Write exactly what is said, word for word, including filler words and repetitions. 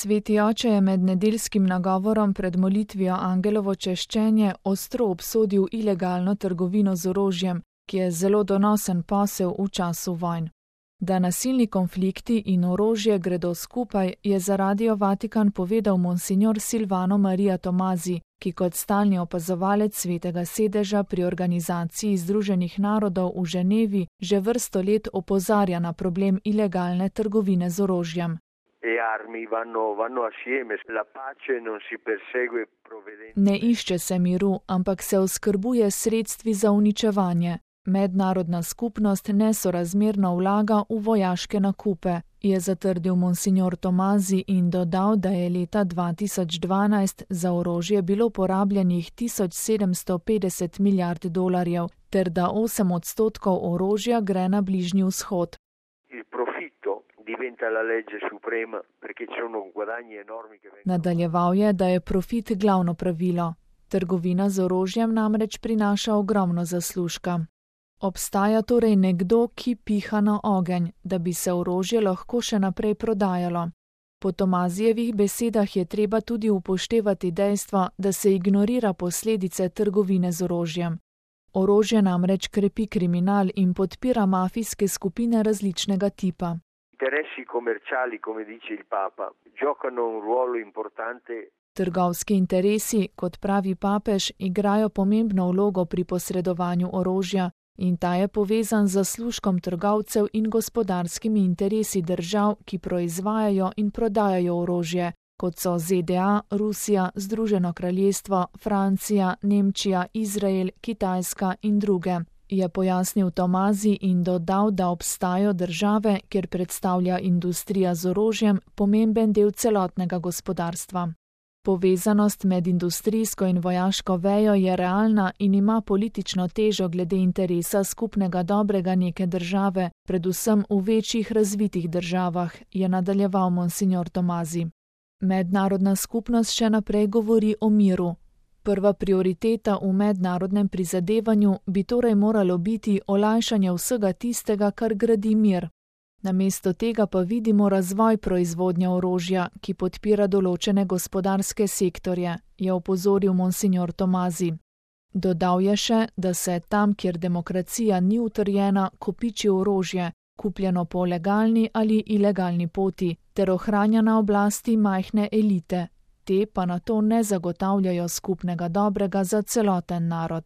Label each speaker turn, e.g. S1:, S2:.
S1: Sveti oče je med nedeljskim nagovorom pred molitvijo Angelovo češčenje ostro obsodil ilegalno trgovino z orožjem, ki je zelo donosen posel v času vojn. Da nasilni konflikti in orožje gredo skupaj, je za Radio Vatikan povedal monsignor Silvano Maria Tomazi, ki kot stalni opazovalec Svetega sedeža pri Organizaciji Združenih narodov v Ženevi že vrsto let opozarja na problem ilegalne trgovine z orožjem. Ne išče se miru, ampak se oskrbuje sredstvi za uničevanje. Mednarodna skupnost nesorazmerno vlaga v vojaške nakupe, je zatrdil monsignor Tomazi in dodal, da je leta dva tisoč dvanajst za orožje bilo porabljenih tisoč sedemsto petdeset milijard dolarjev, ter da osem odstotkov orožja gre na Bližnji vzhod. Nadaljeval je, da je profit glavno pravilo. Trgovina z orožjem namreč prinaša ogromno zaslužka. Obstaja torej nekdo, ki piha na ogenj, da bi se orožje lahko še naprej prodajalo. Po Tomazijevih besedah je treba tudi upoštevati dejstvo, da se ignorira posledice trgovine z orožjem. Orožje namreč krepi kriminal in podpira mafijske skupine različnega tipa. Trgovski interesi, kot pravi papež, igrajo pomembno vlogo pri posredovanju orožja in ta je povezan z zaslužkom trgovcev in gospodarskimi interesi držav, ki proizvajajo in prodajajo orožje, kot so Z D A, Rusija, Združeno kraljestvo, Francija, Nemčija, Izrael, Kitajska in druge, je pojasnil Tomazi in dodal, da obstajajo države, kjer predstavlja industrija z orožjem pomemben del celotnega gospodarstva. Povezanost med industrijsko in vojaško vejo je realna in ima politično težo glede interesa skupnega dobrega neke države, predvsem v večjih razvitih državah, je nadaljeval monsignor Tomazi. Mednarodna skupnost še naprej govori o miru. Prva prioriteta v mednarodnem prizadevanju bi torej moralo biti olajšanje vsega tistega, kar gradi mir. Namesto tega pa vidimo razvoj proizvodnje orožja, ki podpira določene gospodarske sektorje, je opozoril monsignor Tomazi. Dodal je še, da se tam, kjer demokracija ni utrjena, kopiči orožje, kupljeno po legalni ali ilegalni poti, ter ohranja na oblasti majhne elite. Te pa na to ne zagotavljajo skupnega dobrega za celoten narod.